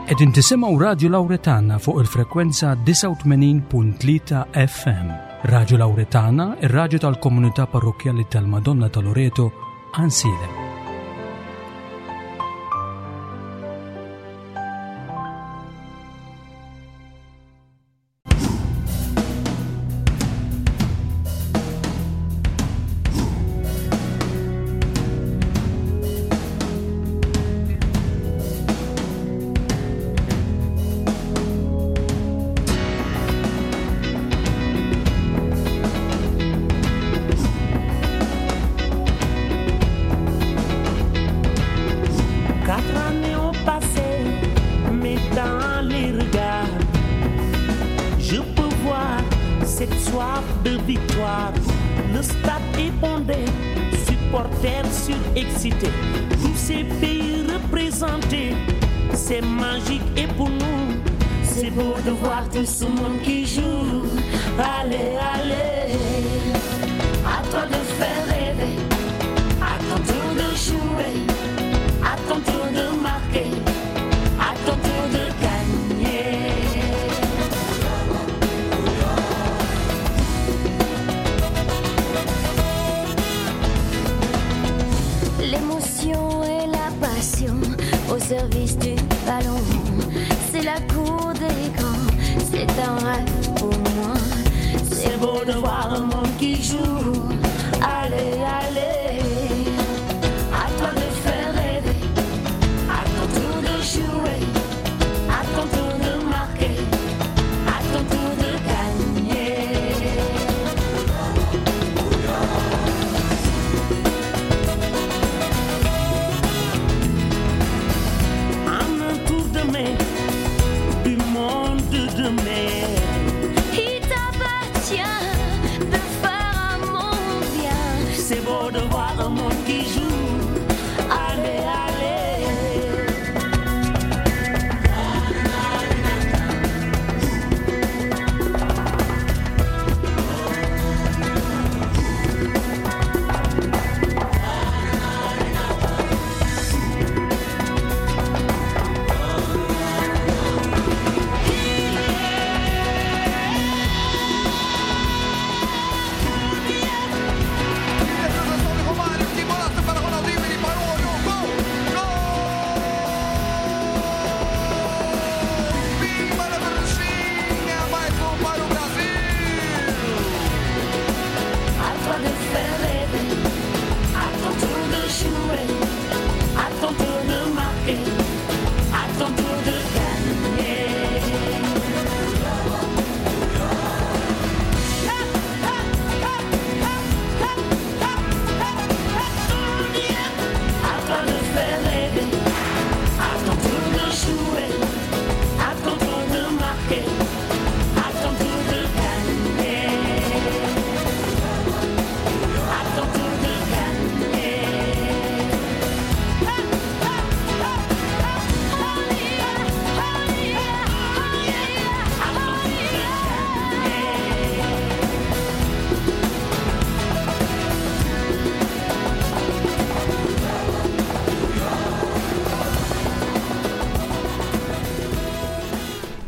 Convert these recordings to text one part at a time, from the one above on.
Qegħdin tisimgħu Radju Lawretana fuq il-frekwenza 89.3 FM. Radju Lawretana, ir-radju tal-komunità parrokkjali tal-Madonna ta' Loreto, Ansilem.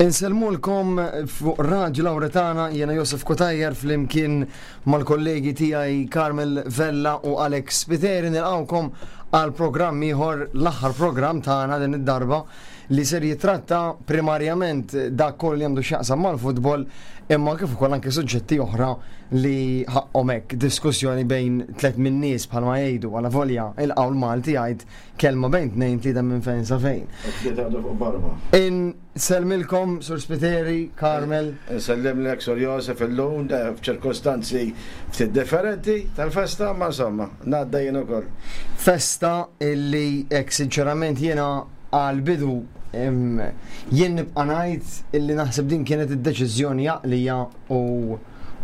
Insellmulkom fuq Radju Lawretana jiena Josef Cutajar flimkien mal-kollegi tiegħi Carmel Vella u Alex Spiteri nilqgħukom għal programm ieħor l-aħħar programm tagħna din id-darba li ser jitratta primarjament dak kollu li għandu x'jaqsam mal-futbol imma kif ukoll anke suġġetti oħra li ħaqqhom hekk diskussjoni bejn tlett min-nies bħalma jgħidu għala volja il-qawl Malti jgħid kelma bejn tnejn tlieta minn fejn sa fejn. Tlieta għadu fuq barba. Insellmilkom Sur Spiteri, Carmel. Insellimlek Sur Josef illum f'ċirkostanzi ftit differenti tal-festa ma insomma ngħadda jien ukoll. Festa illi hekk sinċerament jiena għall-bidu jien nibqa' ngħid illi naħseb din kienet id-deċiżjoni għaqlija u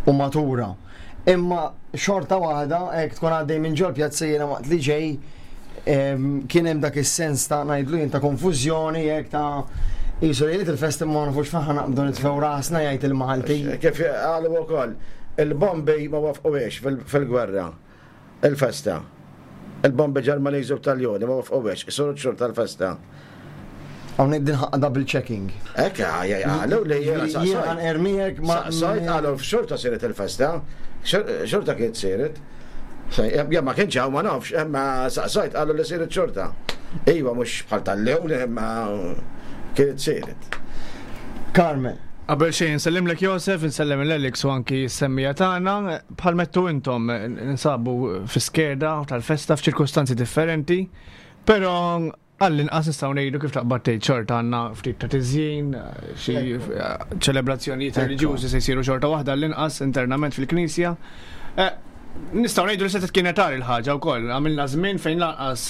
u matura. Imma xorta waħda hekk tkun għaddej minn ġol pjazza jiena waqt li ġej kien hemm dak is-sens ta' ngħidlu jien ta' konfużjoni hekk ta' Jisu lejliet il-festa ma nafux fejn naqbdu nitfgħu rasna jgħid il-Malti. Kif qalu wkoll, il-bombi ma wafquhiex fil-gwerra. Il-festa. Il-bombi Ġermaniżi u Taljoni ma wafquhiex, isiru xhur tal-festa. Hawnhekk din ħaqqa double checking. Hekk qalu li jiena saqsajt. Jiena ermiek ma. Saqsajt qalu xorta siret il-festa, xorta kienet siret. Jien ma kienx hawn ma nafx, imma saqsajt qalu li siret xorta. Iva mhux bħal tal-lum imma kienet siret. Carmen. Qabel xejn insellimlek Josef, insellem lil Alex u anki s-semmija tagħna. Bħal mettu intom ninsabu fi skeda tal-festa f'ċirkustanzi differenti, però Għall-inqas nistgħu ngħidu kif taqbad tgħid xorta għandna ftit ta' tiżjin, xi ċelebrazzjonijiet reliġjużi se jsiru xorta waħda għall-inqas internament fil-Knisja. Eh, nistgħu ngħidu li setgħet kienet għar il-ħaġa wkoll, għamilna żmien fejn lanqas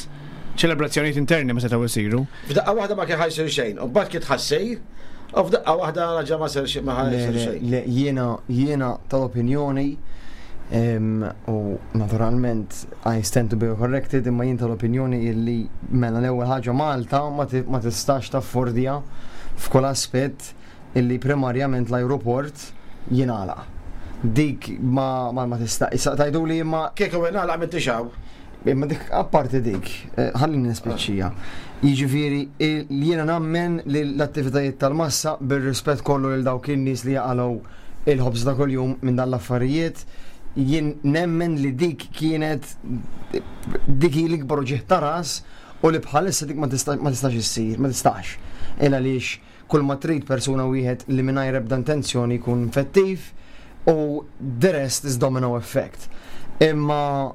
ċelebrazzjonijiet interni ma setgħu jsiru. F'daqqa waħda ma kien ħajsir xejn, u mbagħad kien tħassir, u f'daqqa waħda raġa' ma sir ma ħajsir xejn. Le, jiena jiena tal-opinjoni u naturalment I stand to be corrected imma jien tal-opinjoni illi mela l-ewwel ħaġa Malta ma tistax taffordja f'kull aspett illi primarjament l-ajruport jingħalaq. Dik ma ma tista' issa tgħiduli imma Kieku ingħalaq m'intix hawn. Imma dik apparti dik, eh, ħallini nispiċċija. Jiġifieri jiena nammen li l-attivitajiet tal-massa bir-rispett kollu lil dawk in-nies li jaqalgħu il-ħobż ta' kuljum minn dan l-affarijiet, jien nemmen li dik kienet dik hi l-ikbar uġigħ ta' ras u li bħalissa dik ma tistax issir, ma tistax. Il għaliex kull ma trid persuna wieħed li mingħajr ebda intenzjoni jkun infettiv u the rest is domino effect. Imma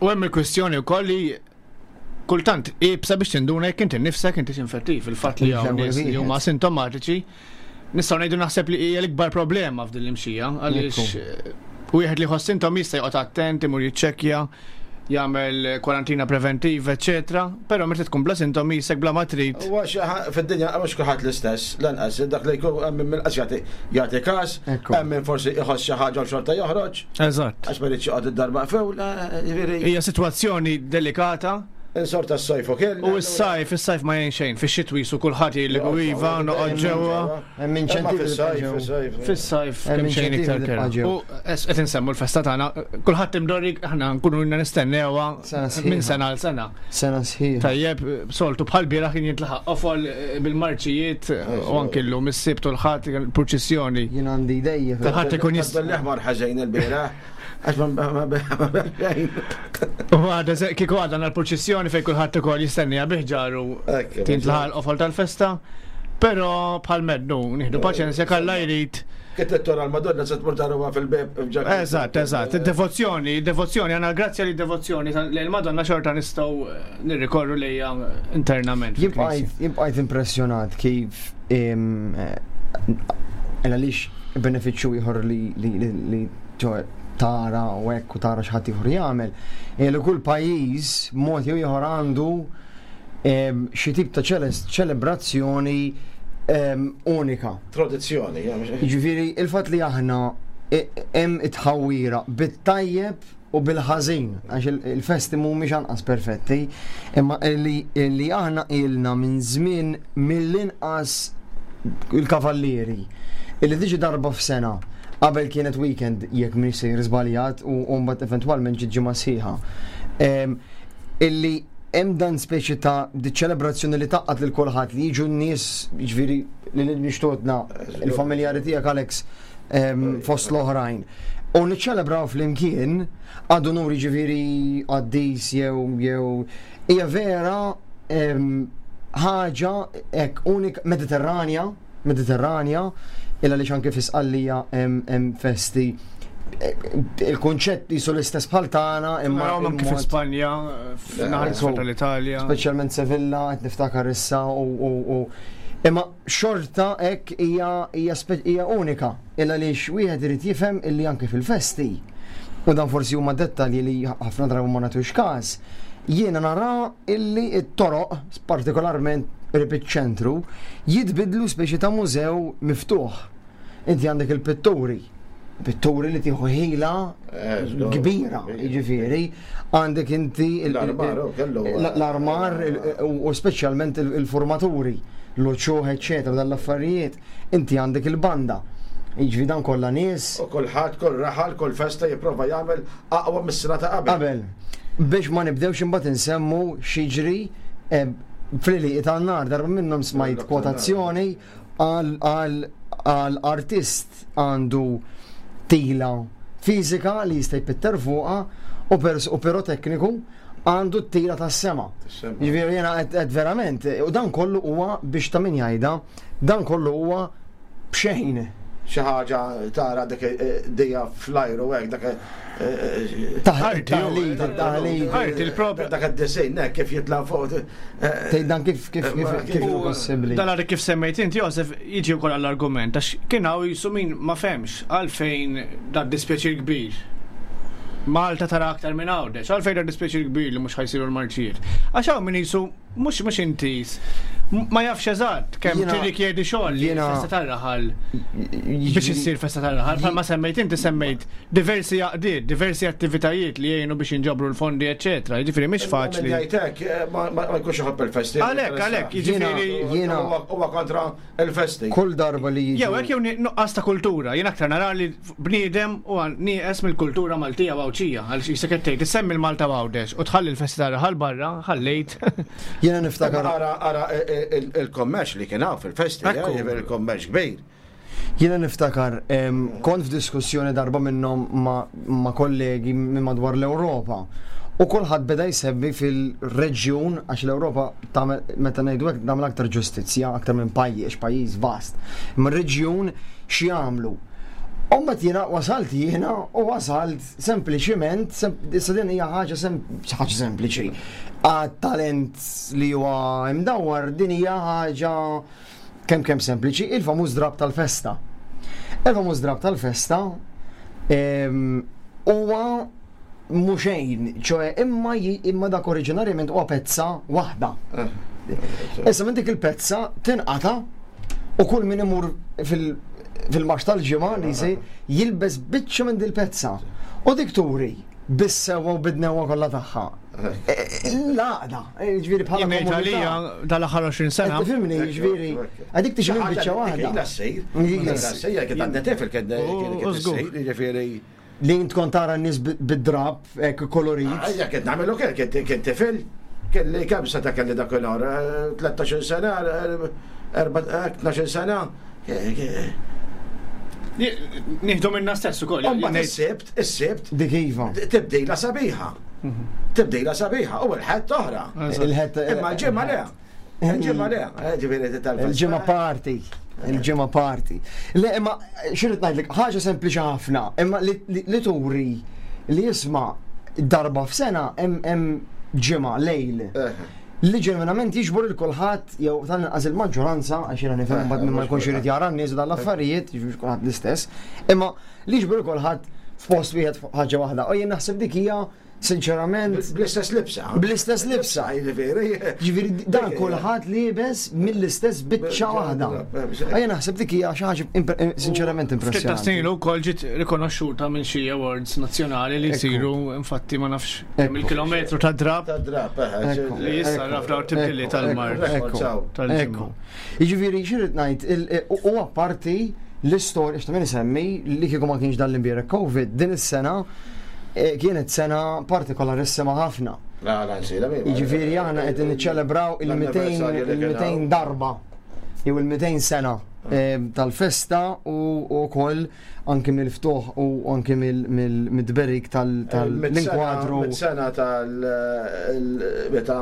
U hemm il-kwistjoni wkoll li kultant iebsa biex tinduna jekk inti nnifsek intix infettiv. Il-fatt li hawn nies li huma asintomatiċi nistgħu ngħidu naħseb li hija l-ikbar problema f'din l-imxija għaliex eh, wieħed li jħoss sintomi jista' joqgħod attent, imur jiċċekkja, jagħmel kwarantina preventiva, eċetera, però meta tkun bla sintomi jisek bla ma trid. Huwa fid-dinja mhux kulħadd l-istess, lanqas dak li jkun hemm min qas jagħti każ, hemm min forsi iħoss xi ħaġa u xorta joħroġ. Eżatt. Għax ma rridx joqgħod id-dar maqful, eh, jiġifieri. Hija sitwazzjoni delikata. Insorta s-sajf u kell. U s-sajf, is-sajf ma jgħin xejn, fix-xitwi su kulħadd jgħidlek u iva, noqgħod ġewwa. Hemm inċentivi fis-sajf. Fis-sajf kemm xejn iktar kera. U qed insemmu l-festa tagħna, kulħadd imdorri aħna nkunu ilna nistennewha minn sena għal sena. Sena sħiħa. Tajjeb, soltu bħal bieraħ kien jintlaħaq qofol eh, bil-marċijiet eh, u anki llum is-sibt u l-ħadd il-purċissjoni. Jien għandi idejja. Kulħadd ikun jista' l-aħmar ħażejn il-bieraħ. Għax ma U għada, kieku għadha l-purċissjoni fejn kulħadd ukoll jistennija biħġaru tintlaħaq l-qofol tal-festa. Però bħal mednu, nieħdu paċenzja kalla jrid. Kif tittora l-Madonna se tmur taruha fil-beb. Eżatt, eżatt. Devozzjoni, devozzjoni, għandna grazzja li devozzjoni li l-Madonna xorta nistgħu eh, nirrikorru lejha internament. Jien bqajt impressjonat kif eh, għaliex benefiċċju ieħor li tara u hekk u tara x'ħadd ieħor jagħmel, li kull pajjiż mod jew ieħor għandu xi tip ta' ċelebrazzjoni unika. Tradizzjoni. Jiġifieri il-fatt li aħna e, hemm it-tħawwira bit-tajjeb u bil-ħażin, għax il-festi mhumiex anqas perfetti, imma li aħna ilna minn żmien mill-inqas il-kavallieri illi tiġi darba f'sena qabel kienet weekend jekk m'iniex sejjer żbaljat u mbagħad eventwalment ġiet ġimgħa sħiħa. Illi hemm dan speċi ta' di ċelebrazzjoni li taqqat lil kulħadd li jiġu n-nies, jiġifieri li nixtotna il-familjari tiegħek Alex fost l-oħrajn. U niċċelebraw flimkien għadu nur jiġifieri qaddis jew jew hija vera ħaġa hekk unika Mediterranja Mediterranja, il għaliex anke fi Sqallija hemm festi il-kunċett jisu l-istess bħal tagħna imma anke fi Spanja, f'naħa tal-Italja. Speċjalment Sevilla qed niftakar issa u imma xorta hekk hija hija unika il għaliex wieħed irid jifhem illi anke fil-festi u dan forsi huma dettalji li ħafna drabi ma nagħtux każ, jiena nara illi t-toroq, partikolarment qrib iċ-ċentru, jitbiddlu speċi ta' mużew miftuħ. Inti għandek il-pitturi, pitturi li tieħu ħila eh, kbira, jiġifieri, għandek inti l-armar u speċjalment il-formaturi, l-uċuħ, eċċetera, dal-affarijiet. Inti għandek il-banda. Jiġifieri dan kollha nies. U kulħadd, kull raħal, kull festa jipprova jagħmel aqwa mis-sena ta' qabel. Qabel. Biex ma nibdewx imbagħad insemmu x'jiġri eh, Fl-għelieqi tan-nar darba minnhom smajt kwotazzjoni għal artist għandu tila fiżika li jista' jpitter fuqha u u pirotekniku għandu t-tila tas-sema. Jiġifieri jiena qed verament, u dan kollu huwa biex ta' min jgħidha, dan kollu huwa b'xejn. Xi ħaġa tara dik dija fl-ajru hekk dak Taħlit, taħlit. Art il-propju. Dak id-disinn hekk kif jitla' fuq. Tgħid dan kif kif kif kif hu possibbli. Dan għadek kif semmejt inti Josef jiġi wkoll għall-argument għax kien hawn jisu min ma fehmx għalfejn dan dispjaċir kbir. Malta tara aktar minn Għawdex, għalfejn dan dispjaċir kbir li mhux ħajsiru l-marċijiet. Għax hawn min jisu Mhux mhux intiż. Ma jafx eżatt kemm tirrikjedi xogħol li festa tar-raħal biex issir festa tar-raħal. Bħalma semmejt inti semmejt diversi għaqdiet, diversi attivitajiet li jgħinu biex jinġabru l-fondi, eċetera. Jiġifieri mhix faċli. Jgħidlek eh, ma jkunx iħobb il-festi. Għalhekk, għalhekk, jiġifieri huwa kontra il-festi. Kull darba li jiġi. Jew hekk jew nuqqas ta' kultura. Jien aktar nara li bniedem huwa nieqes mill-kultura Maltija u Għawdxija għaliex qisek qed tgħid issemmi l-Malta u Għawdex u tħalli l-festi tar-raħal barra, ħallejt. Jiena niftakar. Ara ara il-kommerċ li kien hawn fil-festi, eh, il-kommerċ kbir. Jiena niftakar kont f'diskussjoni darba minnhom ma' kollegi minn madwar l-Ewropa u kulħadd beda jsemmi fil-reġjun għax l-Ewropa tagħmel meta ngħidu hekk tagħmel aktar ġustizzja aktar minn pajjiż, pajjiż vast. Imma reġjun x'jagħmlu? U mbagħad jiena wasalt jiena u wasalt sempliċiment, issa din hija ħaġa ħaġa sempliċi. Għat-talent li huwa imdawwar din hija ħaġa kemm kemm sempliċi, il-famuż drab tal-festa. Il-famuż drab tal-festa huwa mhu xejn, ċoe imma imma dak oriġinarjament huwa pezza waħda. Eh. Issa minn dik il-pezza tinqata' u kull min imur fil-marx tal-ġimgħa li jsir jilbes biċċa minn dil-pezza. U dik turi bis-sewwa u bid-dnewwa kollha tagħha. Eh, eh, l-għaqda, ġifieri bħala komunità. Dal-aħħar 20 sena. Tifhimni, ġifieri, għadik tiġi minn biċċa waħda. Ila ssir. Ila ssir, kien għandna tifel kien issir, ġifieri. Li int kont tara n-nies bid-drapp hekk kolorit. Ejja kien nagħmelu kien kien tifel. Kelli kemm seta' kelli dakinhar? 13-il sena, 12-il sena. Nieħdu minna stess ukoll. Imbagħad is-Sibt, is-Sibt. Dik iva. Tibdila sabiħa. Tibdila sabiħa u l-Ħadd oħra. Il-Ħadd. Imma l-ġimgħa le. Il-ġimgħa le, eh, ġifieri tal Il-ġimgħa parti. Il-ġimgħa parti. Le, imma xirrid ngħidlek ħaġa sempliċi ħafna, imma li turi li jisma' darba f'sena hemm ġimgħa lejl. Eh. Li ġenwinament jiġbor il kulħadd jew tal-inqas il-maġġoranza għax jiena nifhem mbagħad minn ma jkunx irid jara n-nies u dan l-affarijiet, mhux kulħadd l-istess, imma li jiġbor kulħadd f'post wieħed ħaġa waħda. U jien naħseb dik hija Sinċerament. Bl-istess libsa. Bl-istess libsa. Jiġifieri. Jiġifieri dan kulħadd liebes mill-istess biċċa waħda. Ejja naħseb dik hija xi ħaġa eh, sinċerament impressjonanti. Ftit snin ukoll ġiet rikonoxxuta minn xi awards nazzjonali li jsiru infatti ma nafx kemm il-kilometru ta' drab. Ta' drab, eh, eh, li issa naf daw tibdili tal-mart. Ekku. Jiġifieri xi ngħid u apparti l-istorja x'ta' min isemmi li kieku ma kienx dan l-imbierek Covid din is-sena eh, kienet sena partikolarissima ħafna. Jiġifieri aħna qed niċċelebraw il-200 darba jew il-200 sena eh, tal-festa u wkoll anki mill-ftuħ u anki mill-tberik tal-inkwadru. Sena tal-meta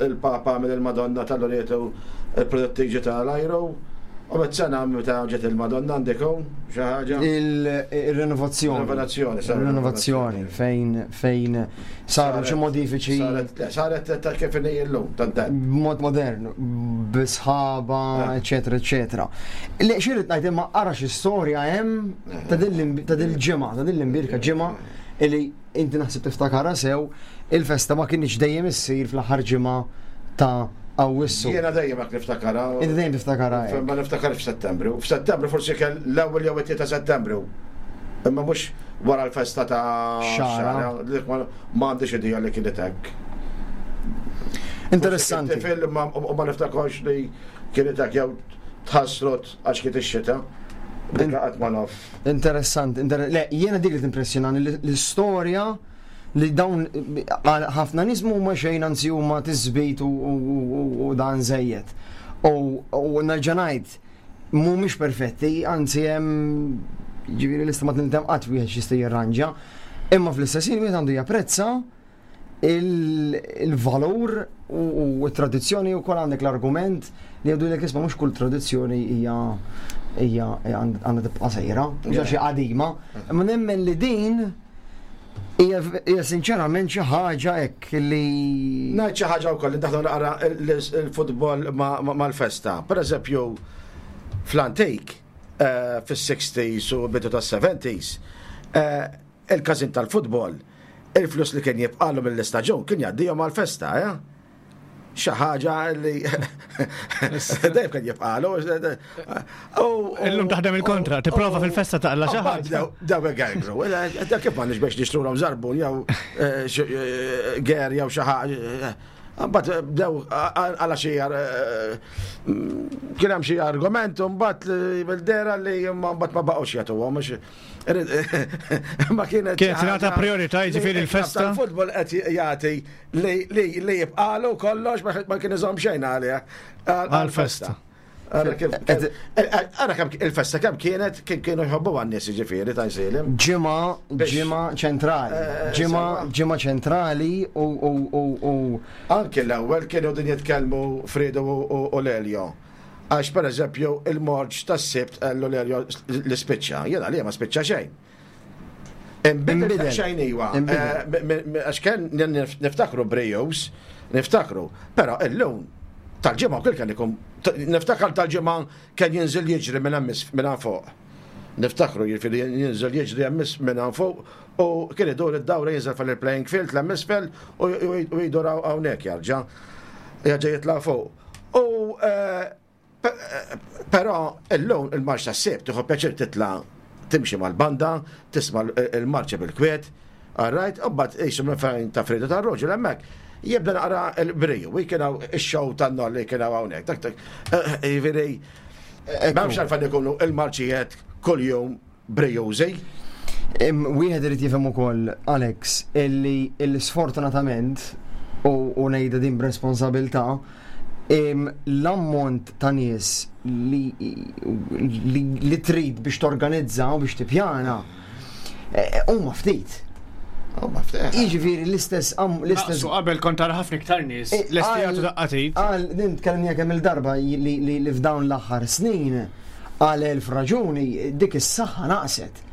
il-Papa mill il-Madonna tal-Loreto il-protettiġi tal-ajru. U met sena meta ġiet il-Madonna għandek hawn xi ħaġa? Il-renovazzjoni. Renovazzjoni, Renovazzjoni fejn fejn saru xi modifiċi. Saret ta' kif inhi llum, tant. B'mod modern, bisħaba, eh. eċetera, eċetera. Le xi ngħid imma ara xi storja hemm ta' dil-ġimgħa, ta' din l-imbirka ġimgħa li inti naħseb tiftakarha sew, il-festa ma kinitx dejjem issir fl-aħħar ġimgħa ta' Awwissu. Jiena dejjem hekk niftakarha. Inti dejjem tiftakarha. Ma niftakar f'Settembru. F'Settembru forsi kell l-ewwel jew it ta' Settembru. Imma mhux wara l-festa ta' Xara. Ma għandix idea li kienet hekk. Interessanti. Tifel ma niftakarx li kienet hekk jew tħassrot għax kienet ix-xita. Dik qatt ma naf. Interessant, le, jiena dik li timpressjonani l-istorja. Li dawn ħafna nies huma xejn anzi huma tisbit u dan żejjed. U nerġa' ngħid mhumiex perfetti, anzi hemm ġifieri lista ma tintemm qatt wieħed x'jista' jirranġa. Imma fl-istess ħin wieħed għandu japprezza il-valur u t-tradizzjoni u kol għandek l-argument li għadu l isma mux kull tradizzjoni hija hija għandha tibqa' sejra, mhux xi qadima. Imma nemmen li din hija sinċerament xi ħaġa hekk li. Ngħid xi ħaġa wkoll li daħlu naqra il-futbol mal-festa. Per eżempju, fl-antik, eh, fis-60s u bidu tas-70s, eh, il-każin tal-futbol, il-flus li kien jibqalu mill-istaġun kien jgħaddihom għal-festa, eh? Xi ħaġa li dejjem kien jibqalu. Illum taħdem il-kontra, tipprova fil-festa taqla xi ħaġa. Daw għajgru, dak kif m'għandniex biex nixtrulhom żarbun jew eh, eh, ger jew xi ħaġa. Mbagħad bdew għala xi eh, kien hemm xi argument u mbagħad bil-dera li mbagħad ma baqgħux jagħtuhom Ma kienet. Kienet tingħata priorità jiġifieri l-festa. Il-futbol qed jagħti li jibqalu kollox ma kien iżomm xejn għalih. Għal-festa. Ara kemm il-festa kemm kienet kien kienu jħobbu għan-nies jiġifieri ta' jsilim. Ġimgħa ġimgħa ċentrali. Eh, ġimgħa ġimgħa ċentrali u u Anke l-ewwel kienu din jitkellmu Fredo u Lelio. Għax per eżempju il-morġ tas-Sibt qallu li spiċċa, jiena li ma spiċċa xejn. Inbidel xejn iwa. Eh, għax kien niftakru brejus, niftakru, però illum tal-ġimgħa kull kien ikun niftakar tal-ġimgħa kien jinżil jiġri minn hemm minn fuq. Niftakru jiġifieri jinżel jiġri hemm minn hawn fuq u kien idur id-dawra jinżel fil-playing field l-hemm isfel u jdur hawnhekk jarġa'. Jarġa' jitla' fuq. U eh, però illum il-marċ tas-Sibt tieħu pjaċir titla' timxi mal-banda, tisma' il-marċa bil-kwiet, alright, u mbagħad qisu minn fejn ta' Fredo tar-Roġel hemmhekk jibda naqra l-briju, kien hawn ix-show tan-nor li kien hawn hawnhekk. Dak dak, eh, jiġifieri m'hemmx għalfejn ikunu il-marċijiet kuljum brijużi. Wieħed irid jifhem ukoll, Alex, illi illi sfortunatament u ngħidha din b'responsabilità, l-ammont ta' nies li, li, li trid biex torganizza u biex tippjana eh, huma ftit. Huma ftit. Jiġifieri l-istess l-istess. Qabel kont tara ħafna iktar nies, eh, lesti jagħtu daqqatit. Għal din tkellimni kemm il-darba li f'dawn l-aħħar snin għal elf raġuni dik is-saħħa naqset.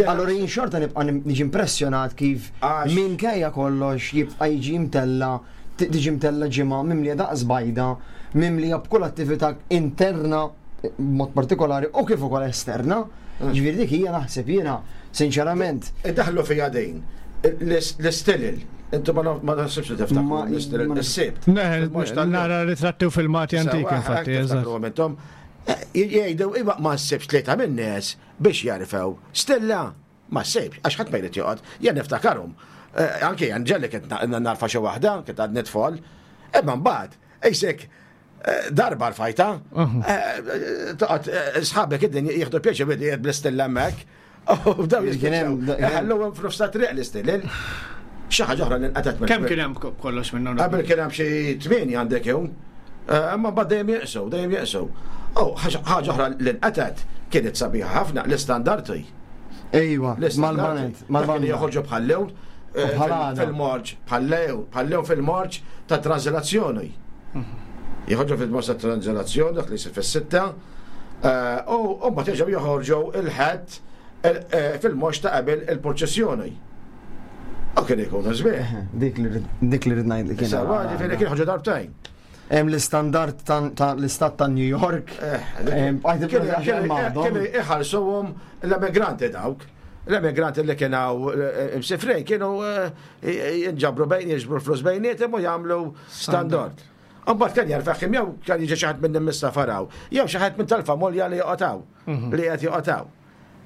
Allora jien xorta nibqa' niġi impressjonat kif minkejja kollox jibqa' jiġi mtella tiġi mtella ġimgħa mimlija daqs bajda, mimlija b'kull attività interna b'mod partikolari u kif ukoll esterna. Mm. Ġifieri dik hija naħseb jiena sinċerament. Idaħlu fija din l-istilil. Intu ma naħsibx li tiftakru l-istilil is-sibt. Nara ritratti u filmati antiki infatti. Eh, jgħidu iva ma ssibx tlieta min-nies biex jarfew stilla. Ma ssibx, għax ħadd ma jrid joqgħod. Jien niftakarhom. Eh, anke jien ġelli kien narfa xi waħda, kien għadni tfol. Imma mbagħad, qisek eh, darba rfajta, eh, toqgħod sħabek id-din jieħdu pjaċir bidi bl-istilla hemmhekk. U daw jispiċċaw. Ħalluhom f'nofs ta' triq l-istillel. Xi ħaġa oħra li nqatgħet mill Kemm kien hemm kollox minnhom? Qabel kien hemm xi tmieni għandek jew. Imma mbagħad dejjem jeqsu, dejjem jeqsu. U ħaġa oħra li nqatgħet kienet sabiħa ħafna l-istandardi. Ejwa, mal-banet, mal-banet. Joħorġu bħal lewn eh, fil-morġ, bħal lewn, bħal lewn fil-morġ ta' tranżlazzjoni. Mhm. Joħorġu fil-morġ ta' tranżlazzjoni, dak li jsir fis-sitta, eh, u mbagħad jerġgħu joħorġu il-ħadd eh, fil-morġ ta' qabel il-purċissjoni. U kien ikunu sbieħ. Dik li rid ngħid li kien. Sawa, ġifieri kien ħoġu darbtejn. Hemm l-istandard ta' l-istat ta' New York. Eh, kienu iħarsuhom l-emigranti dawk. L-emigranti li kienu eh, msifrin kienu eh, jinġabru bejn jiġbru flus bejnietem u jagħmlu standard. Mbagħad kien jarfaħ jew kien jiġi xi ħadd minn mis-safaraw, jew xi ħadd minn tal-familja li joqgħotaw, mhm. li qed joqgħotaw.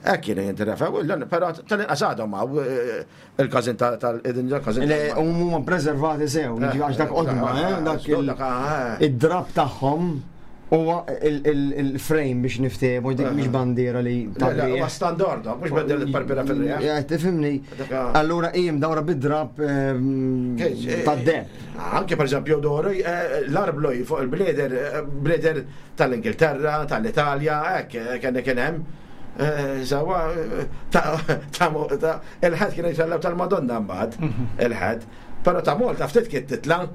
Hekk kienu jintrefew, però tal-inqas għadhom hawn eh, il-każin tal-każin. Le huma preservati sew, eh, għax dak qodma, eh, dak id-drab tagħhom. Huwa il-frame biex niftehmu, dik mhix bandiera li ta' Huwa standard, mhux bandiera li tparpira fil-riħ. Eh, tifhimni. Allura hi mdawra bid-drab ehm, eh, tad-deb. Anke pereżempju doru eh, l-arblu fuq il-bleder, bleder tal-Ingilterra, tal-Italja, hekk kien kien hemm. Sawa, ta' il-ħed kien jitellgħu tal-Madonna mbagħad, mhm. il-ħed. Però ta' Malta ftit kien titla'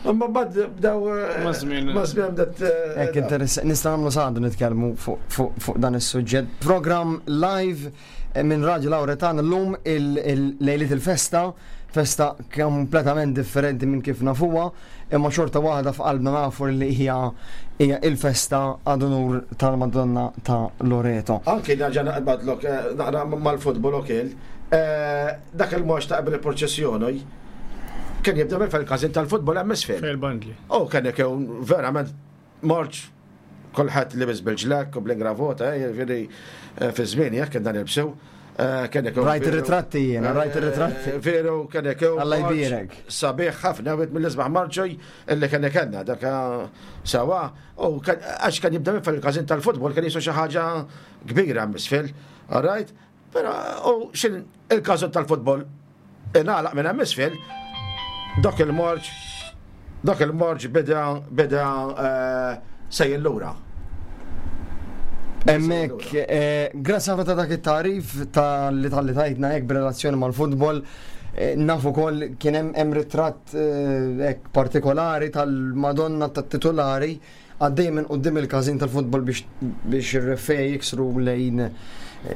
Imma bad bdew. Eh, Mażmin. Mażmin bdet. Eh, Hekk interessant, nista' nagħmlu saħdu nitkellmu fuq dan is-suġġett. Program live eh, minn Raġu Lawretan llum il-lejliet il-festa, festa kompletament differenti minn kif nafuha, imma xorta waħda f'qalbna nafu li hija hija il-festa għad unur tal-Madonna ta' Loreto. Anki nerġa' naqbadlok naqra mal-futbol ukoll, dak il-mox ta' qabel il-proċessjoni Kien jibda minn fil-każin tal-futbol hemm isfel. Fil-bandli. U kien ikun verament marċ kulħadd libes bil-ġlek u bl-ingravota, eh, jiġifieri eh, fi żmien jekk kien dan ilbsew. Eh, kien ikun. Rajt ir-ritratti jiena, rajt ir-ritratti. Veru kien ikun. Alla jbierek. Sabiħ ħafna wieħed mill-isbaħ marċoj illi kien ikenna dak sawa u għax kien jibda minn fil-każin tal-futbol kien jisu xi ħaġa kbira hemm isfel. All right? Pero u xin il-każin tal-futbol ingħalaq minn hemm isfel, dak il-marġ dak il-marġ beda beda eh, sejjer lura. Emmek, eh, grazzi ħafna ta' dak it-tarif ta' li tal-li tajtna hekk b'relazzjoni mal-futbol. Eh, nafu kol kien hemm ritratt hekk partikolari tal-Madonna tat-titolari Għaddej minn quddiem il-każin tal-futbol biex biex ir-refej jiksru lejn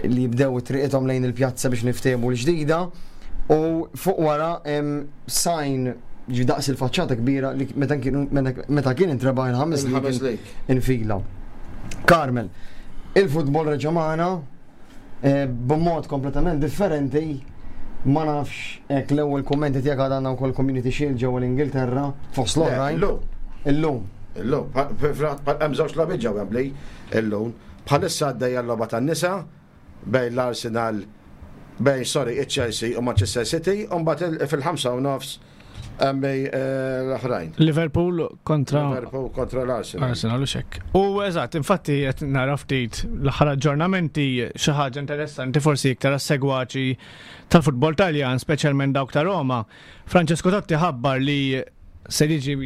li jibdew triqithom lejn il-pjazza biex niftehmu l-ġdida u fuq wara hemm sign ġi daqs il-faċċata kbira li meta kien meta kien intrebaħ il-ħames lig infila. Carmel, il-futbol reġa' magħna eh, b'mod kompletament differenti ma nafx hekk l-ewwel kummenti tiegħek għad għandna wkoll Community Shield ġewwa l-Ingilterra fost l-oħrajn. Illum. Illum. Illum. Hemm żewġ logħbiet ġew Wembley illum. Bħalissa għaddejja l-logħba tan-nisa bejn l-Arsenal bejn sorry iċ-Chelsea u Manchester City u mbagħad fil-5 u nofs hemm eh, l-oħrajn. Liverpool kontra Liverpool kontra l-Arsenal. Arsenal u xek. U eżatt, infatti qed nara ftit l-aħħar aġġornamenti xi ħaġa interessanti forsi iktar għas-segwaċi tal-futbol Taljan, speċjalment dawk ta' Roma. Francesco Totti ħabbar li se jiġi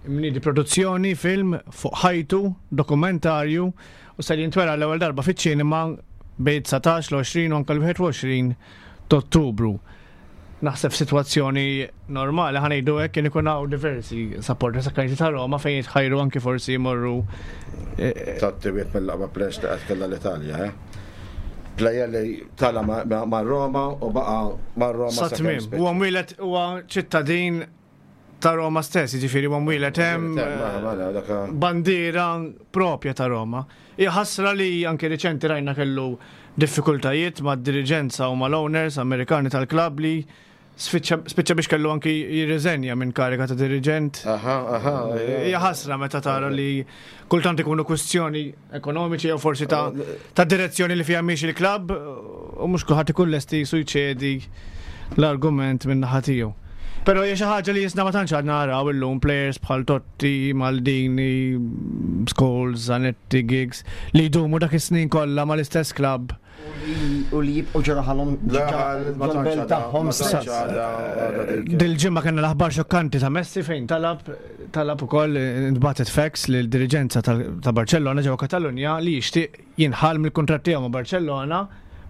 mniedi produzzjoni film fuq ħajtu, dokumentarju, u se jintwera l-ewwel darba fiċ-ċinema bejn 19, l-20 u anke l-21 t'Ottubru. Naħseb f'sitwazzjoni normali ħa ngħidu hekk kien ikun hawn diversi supporters akkaniti ta' Roma fejn jitħajru anki forsi jmorru. Eh, Totti wieħed mill-aqwa players li qatt kellha l-Italja, eh? Player li tala ma' Roma u baqa' ma' Roma. Sa tmiem. Huwa mwieled huwa ċittadin ta' Roma stess, jiġifieri huwa mwieled hemm eh, bandiera propja ta' Roma. Hija ħasra li anke riċenti rajna kellu diffikultajiet mad-diriġenza u mal-owners Amerikani tal-klabb li spiċċa biex kellu anki jirriżenja minn kariga ta' diriġent. Aha, aha. Hija ħasra meta tara li kultant ikunu kwistjoni ekonomiċi jew forsi ta' ta' direzzjoni li fiha miex il-klabb u mhux kulħadd ikun lesti jisu jċedi l-argument minn naħa tiegħu. Però hija xi ħaġa li jisna ma tantx għadna naraw illum players bħal Totti, Maldini, Scholes, Zanetti, Giggs li jdumu dak is-snin kollha mal-istess klabb U li jibqgħu ġo raħalhom ġol-belt tagħhom stess. Dil-ġimgħa kellna l-aħbar xokkanti ta' Messi fejn talab talab ukoll intbagħtet fax lil diriġenza ta' Barcellona ġewwa Katalunja li jixtieq jinħall mill-kuntratt tiegħu ma' Barcellona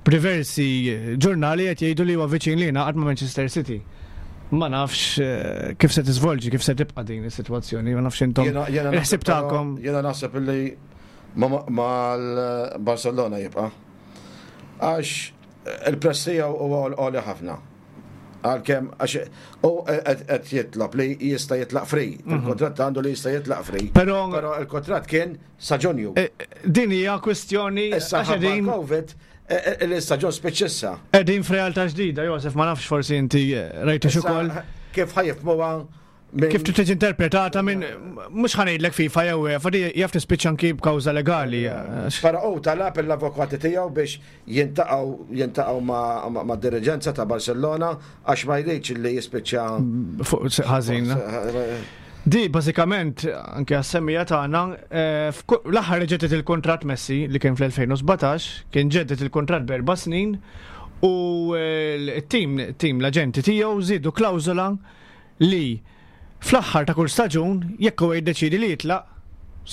b'diversi ġurnali qed jgħidu li huwa viċin li jingħaqad ma' Manchester City. Ma nafx eh, kif se tiżvolġi, kif se tibqa' din is-sitwazzjoni, ma nafx intom. Il-ħsieb tagħkom. Jiena naħseb li Mal-Barcelona jibqa'. Għax il-prezz tiegħu huwa għoli ħafna. Għalkemm għax u qed jitlob li jista' jitlaq free. Mhm. Il-kontratt għandu li jista' jitlaq free. Però Però il-kontratt kien sa Ġunju. Eh, din hija kwistjoni Issa ħabba Covid eh, eh, l-istaġun spiċċissa. Qegħdin f'realtà ġdida, Josef, ma nafx forsi inti rajtu ukoll. Kif ħajfmuha Kif trid tiġi interpretata minn mhux ħanejdlek FIFA jew UEFA di jaf tispiċċa anki b'kawża legali. Però hu talab l-avukati tiegħu biex jintaqgħu jintaqgħu ma' diriġenza ta' Barcellona għax ma jridx li jispiċċa fuq ħażin. Di bażikament anke għas-semmija tagħna eh, l-aħħar li ġeddet il-kuntratt Messi li kien fl-2017 kien ġeddet il-kuntratt b'erba' snin u eh, l-tim tim l-aġenti tiegħu żiedu klawżola li fl-aħħar ta' kull staġun jekk huwa jiddeċiedi li jitlaq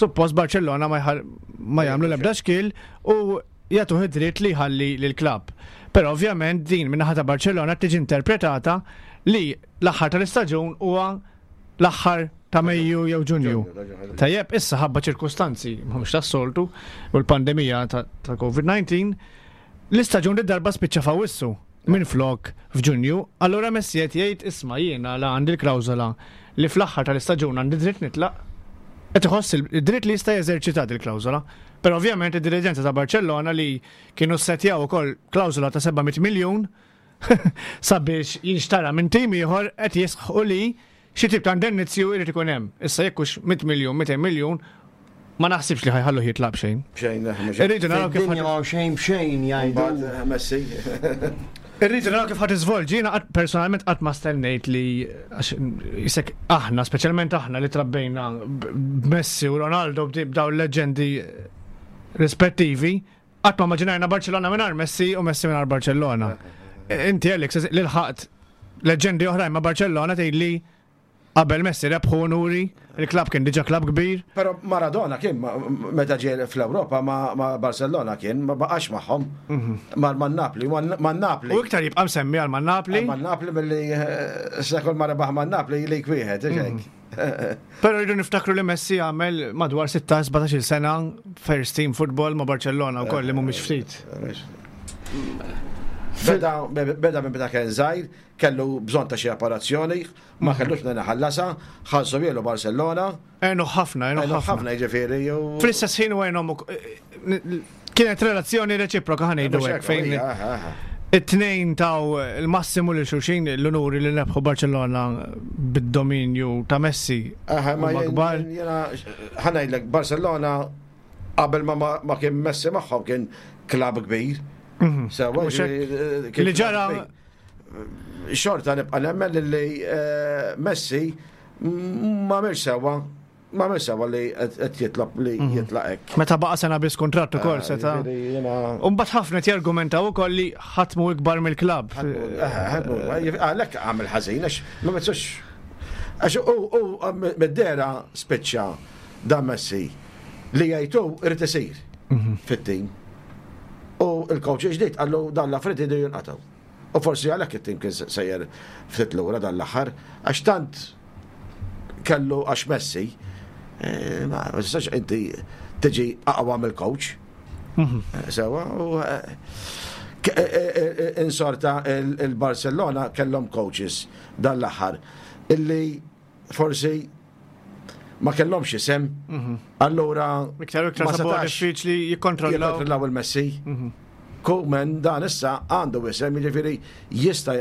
suppost Barcellona ma jagħmlu l-ebda xkiel u jagħtuh id-dritt li jħalli lill-klabb. Però ovvjament din min-naħa ta' Barcellona tiġi interpretata li l-aħħar tal-istaġun huwa l-aħħar ta' Mejju jew Ġunju. Tajjeb, issa ħabba ċirkustanzi mhux tas-soltu u l-pandemija ta' COVID-19, l-istaġun li darba spiċċa f'Awwissu minn flok f'Ġunju, allura Messi qed jgħid isma' jiena la għandi l-klawżola li fl-aħħar tal-istaġun għandi dritt nitlaq, qed iħoss id-dritt li jista' jeżerċita dil-klawżola. Però ovvjament id-diriġenza ta' Barcellona li kienu ssetjaw ukoll klawżola ta' 700 miljun sabiex jinxtara minn tim ieħor qed jisħqu li xi tip ta' indennizju jrid ikun hemm. Issa jekk hux 100 miljun, 200 miljun, ma naħsibx li ħa jħalluh jitlaq b'xejn. B'xejn, mhux. Irridu naraw kif Fid-dinja m'hawn xejn b'xejn jgħidu. Mbagħad Messi. Irridu naraw kif ħa tiżvolġi, jiena qatt personalment qatt ma stennejt li għax isek aħna, speċjalment aħna li trabbejna b'Messi u Ronaldo b'dawn il-leġġendi rispettivi, qatt ma immaġinajna Barcellona mingħajr Messi u Messi mingħajr Barcellona. Inti Alex li lħaqt leġġendi oħrajn ma' Barcellona tgħidli Qabel Messi rebħu unuri, il-klabb kien diġà klabb kbir. Però Maradona kien meta ġie fl-Ewropa ma' Barcellona kien, ma baqax magħhom. Mar ma' Napli, ma' Napli. U iktar jibqa' msemmi għal ma' Napli. Ma' Napli milli sa kull ma rebaħ ma' Napli lik wieħed, hekk. Però rridu niftakru li Messi għamel madwar 16-17 sena first team football ma' Barcellona wkoll li mhumiex ftit. Beda minn meta kien żgħir, kellu bżonn ta' xi apparazzjoni, ma kellux minn ħallasha, ħallsu mielu Barcellona. Għenu ħafna, għenu ħafna. ħafna jiġifieri. Fl-istess ħin u għenhom kienet relazzjoni reċiproka ħa ngħidu hekk fejn it-tnejn taw il-massimu lil xulxin l-unuri li nebħu Barcellona bid-dominju ta' Messi. Aha, ma kbar. Ħa ngħidlek Barcellona qabel ma kien Messi magħhom kien klabb kbir. Mhm. Sewa li ġara Xorta nibqa' nemmen li eh, Messi ma għamilx sewwa ma għamilx sewwa li qed jitlob li mhm. jitlaq hekk. Meta baqa' sena biss kuntratt ukoll eh, seta'. U mbagħad ħafna qed jargumentaw ukoll li ħadd mhu ikbar mill-klabb. Eh, għalhekk għamel ħażin għax ma metsux għax u mid-dera spiċċa dan Messi li jgħidu irid isir mhm. fit-tim. U l-coach ġdid qallu dan l-affarijiet iridu jinqatgħu. U forsi għalhekk it-tim kien sejjer ftit lura dan l-aħħar għax tant kellu għax Messi eh, ma tistax inti tiġi aqwa mill-coach. Mhm. Eh, sewa, u eh, insorta il-Barcellona kellhom coaches dan l-aħħar illi forsi ma kellhomx isem, mhm. allura iktar iktar ma setax diffiċli jikkontrollaw jikkontrollaw il-Messi. Mhm. Koeman dan issa għandu isem, jiġifieri jista'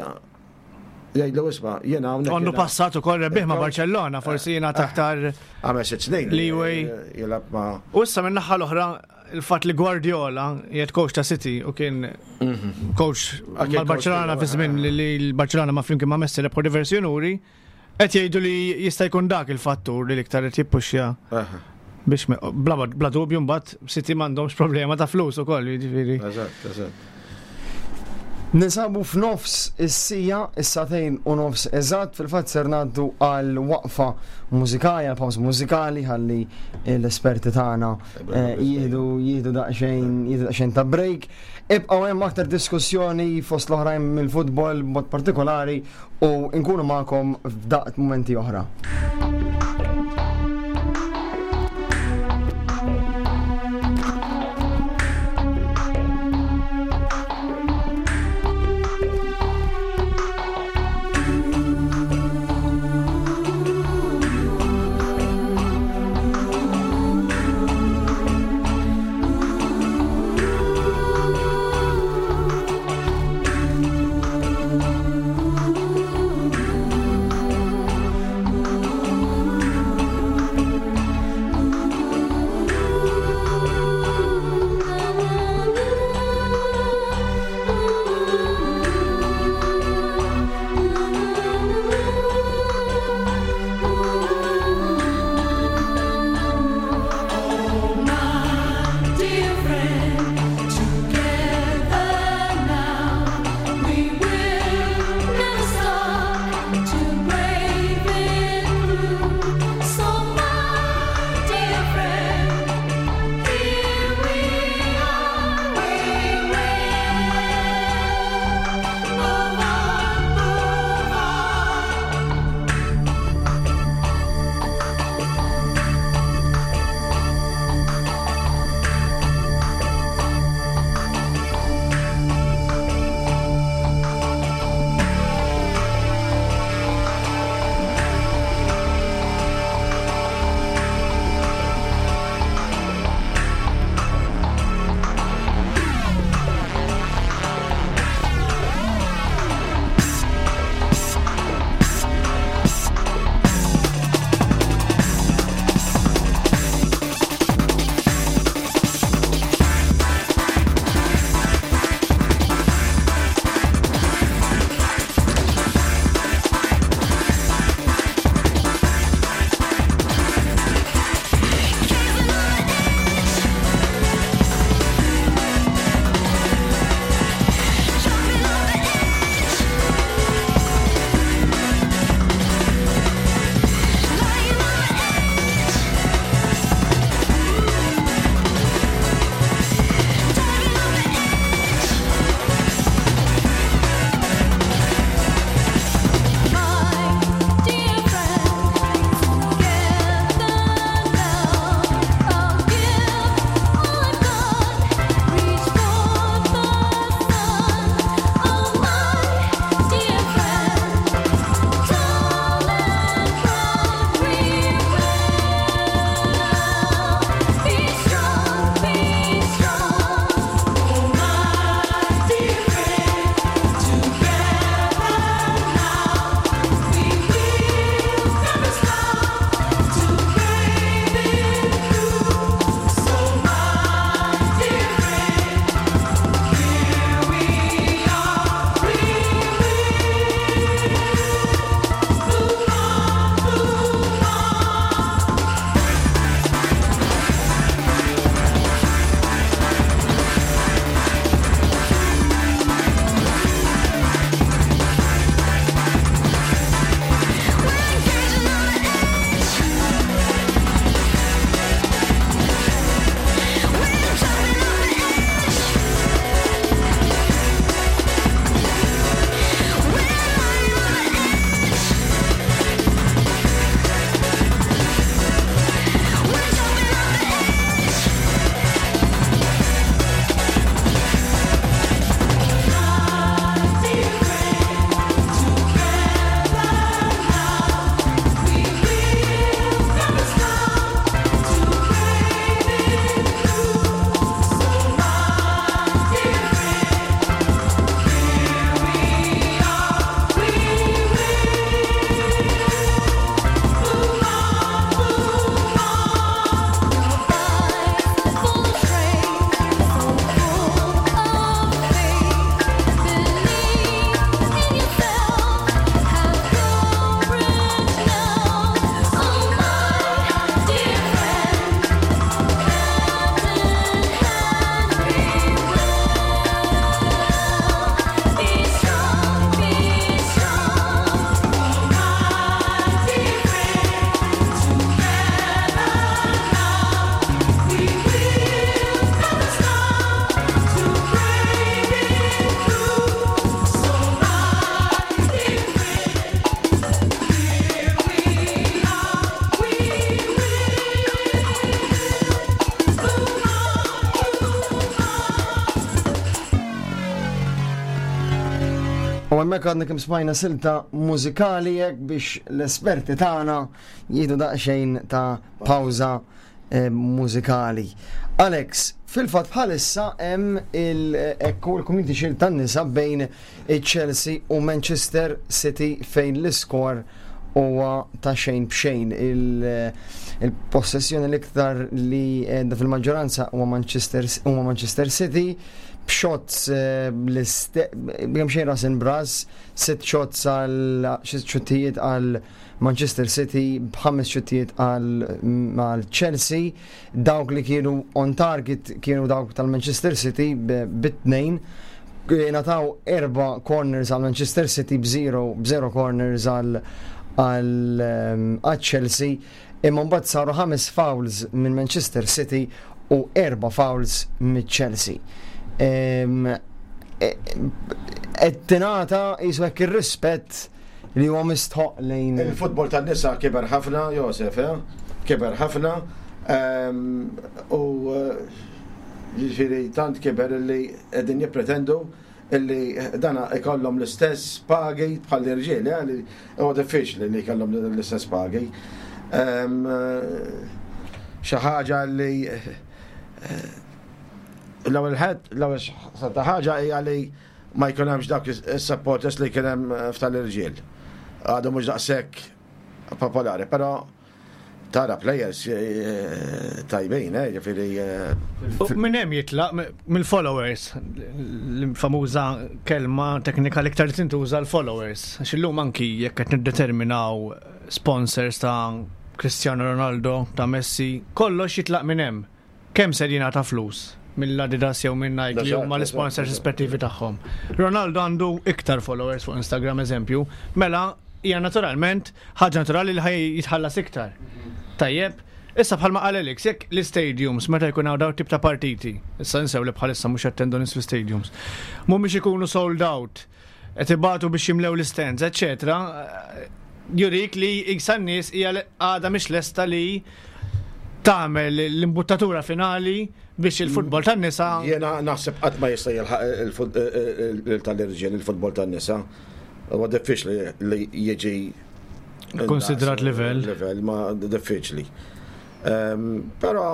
jgħidlu isma' jiena hawnhekk. Għandu passat ukoll rebbieħ ma' Barcellona, forsi jiena eh, aktar għamel sitt snin. Leeway. Jilgħab ma' U issa minn naħa l-oħra il-fatt li Guardiola jgħid coach ta' City u kien mhm. coach mal-Barcellona fi żmien li l-Barcellona ma' flimkien ma' Messi rebħu diversi unuri. Qed jgħidu li jista' jkun dak il-fattur li l-iktar qed jippuxja biex bla, bla dubju mbagħad City m'għandhomx problema ta' flus ukoll, jiġifieri. Eżatt, eżatt. Ninsabu f'nofs is-sija, is-sagħtejn u nofs eżatt, fil-fatt ser ngħaddu għal waqfa mużikali, għal pawż mużikali ħalli l-esperti tagħna eh, jieħdu jieħdu daqsxejn jieħdu daqsxejn ta' break. Ibqgħu hemm aktar diskussjoni fost l-oħrajn mill-futbol b'mod partikolari u nkunu magħkom f'daqt mumenti oħra. U hemmhekk għadna kemm smajna silta mużikali hekk biex l-esperti tagħna jieħdu daqsxejn ta' pawża eh, mużikali. Alex, fil-fatt bħalissa hemm il-ekku l-Community Shield tan-nisa bejn Chelsea u Manchester City fejn l-iskor huwa ta' xejn b'xejn. Il-possessjoni l-iktar li qiegħda fil-maġġoranza huwa Manchester huma Manchester City b'shots eh, kemm xejn ras bras, sitt shots għal sitt xuttijiet għal Manchester City b'ħames xuttijiet għal Chelsea. Dawk li kienu on target kienu dawk tal-Manchester City bit-tnejn. Ingħataw erba' corners għal Manchester City b'zero b'zero corners għal għal ehm, Chelsea imma mbagħad saru ħames fouls minn Manchester City u erba' fouls minn Chelsea. Ehm, e, qed tingħata qisu hekk ir-rispett li huwa mistħoqq lejn. Il-futbol tan-nisa kiber ħafna, Josef, eh? Kiber ħafna. Ehm, u eh, jiġifieri tant kiber illi qegħdin jippretendu illi dana ikollhom l-istess pagi bħal l-irġiel, eh, li huwa diffiċli li jkollhom l-istess pagi. Ehm, xi ħaġa li eh, l-ewwel ħed, l-ewwel ħaġa hija li ma jkun hemmx dawk is-supporters li kien hemm eh, f'tal-irġiel. Għadu mhux daqshekk popolari, però tara players eh, tajbin, eh, ġifieri. Eh, minn hemm jitlaq mill-followers, l-famuża kelma teknika l-iktar li tintuża l-followers. Għax illum anki jekk qed niddeterminaw sponsors ta' Cristiano Ronaldo, ta' Messi, kollox jitlaq minn hemm. Kemm ser jingħata flus mill-Adidas jew minn Nike li huma l-isponsors rispettivi tagħhom. Ronaldo għandu iktar followers fuq Instagram eżempju, mela hija naturalment ħaġa naturali li ħaj jitħallas iktar. Tajjeb, issa bħalma qal Alex, jekk l-istadiums meta jkun hawn dawn tip ta' partiti, issa nsew li bħalissa mhux jattendu nies fl-istadiums, mhumiex ikunu sold out, qed ibatu biex jimlew l-istands, eċetera, jurik li iksa n-nies hija għadha mhix lesta li tagħmel l-imbuttatura finali biex il-futbol tan-nisa. Jiena naħseb qatt ma jista' jilħaq tal-irġiel il-futbol tan-nisa. Huwa diffiċli li jiġi konsidrat livell. Livell ma diffiċli. Ehm, però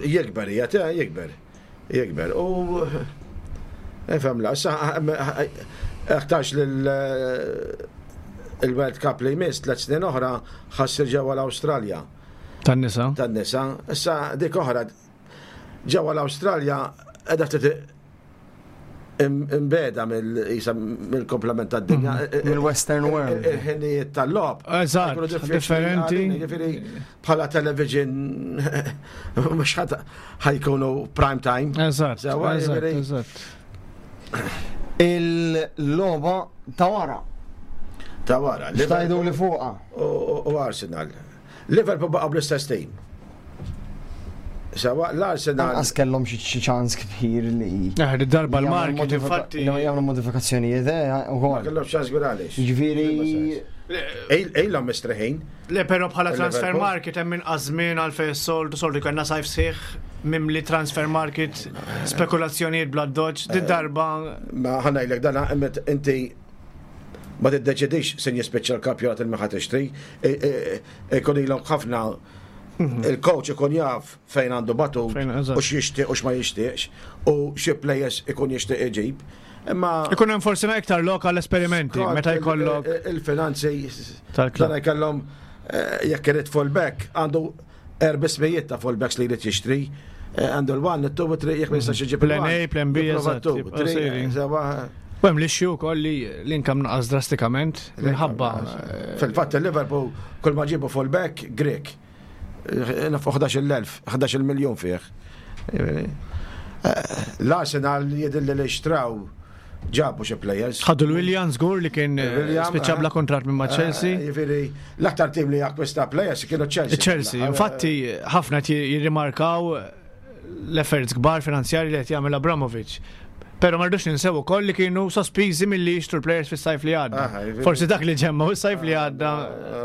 jikber, eh, jikber. Jikber. U ifhem la, sa aktarx lil il-World Cup li jmiss tliet snin oħra ħassir ġewwa l-Awstralja. Tan-nisa. Tan-nisa. Issa dik oħra ġewwa l-Awstralja qiegħda ftit imbeda mill-komplement tad-dinja. Mhm. Mill-Western World. Il-ħinijiet tal-lob. Eżatt, differenti. Ġifieri bħala television mhux ħajkunu prime time. Eżatt, eżatt. Il-logħba ta' wara. Ta' wara. Xtajdu li fuqa. U Arsenal. Liverpool baqa' bl-istess team. Sawa l-Arsenal. Anqas kellhom xi ċans kbir li. Eh, darba l-market infatti. Jagħmlu modifikazzjonijiet, eh, ukoll. Kellhom ċans kbir għaliex. Jiġifieri. Ilhom mistriħin. Le però bħala transfer market hemm inqas żmien għal fejn soltu soltu jkollna sajf sħiħ mimli transfer market, spekulazzjonijiet bla doġ, di darba. Ma ħanajlek dan inti ma tiddeċidix se jispiċċa l-kampjonat il-meħa tixtri, ikun ilhom ħafna mhm. il-coach ikun jaf fejn għandu batut u x'jixtieq u x'ma jixtieqx u xi players ikun jixtieq iġib. Imma ikun hemm forsi iktar lok għall esperimenti meta jkollok il-finanzi tal-klabb jkollhom eh, jekk irid fullback għandu erbismijiet ta' fullbacks li jrid jixtri. Eh, għandu l-1, it-2, it-3, jekk ma jistax iġib. Plan A, plan B, eżatt. U hemm l-issue wkoll li l-inkam naqas drastikament minħabba. Eh, Fil-fatt il-Liverpool kull ma ġibu fullback Grek. Nafu 11,000, 11 miljon fih. Eh, L-Arsenal jidilli li xtraw ġabu xi players. Ħadu l-William żgur li kien eh, spiċċa bla kuntratt minn ma' eh, Chelsea. Jiġifieri l-aktar tim li akkwista players kienu Chelsea. Chelsea, infatti ħafna jirrimarkaw l-efforts kbar finanzjari li qed jagħmel Abramovich. Pero ma rridux ninsew ukoll li kienu sospiżi milli jixtru l-players fis-sajf li għadda. Forsi dak li ġemma u s-sajf li għadda.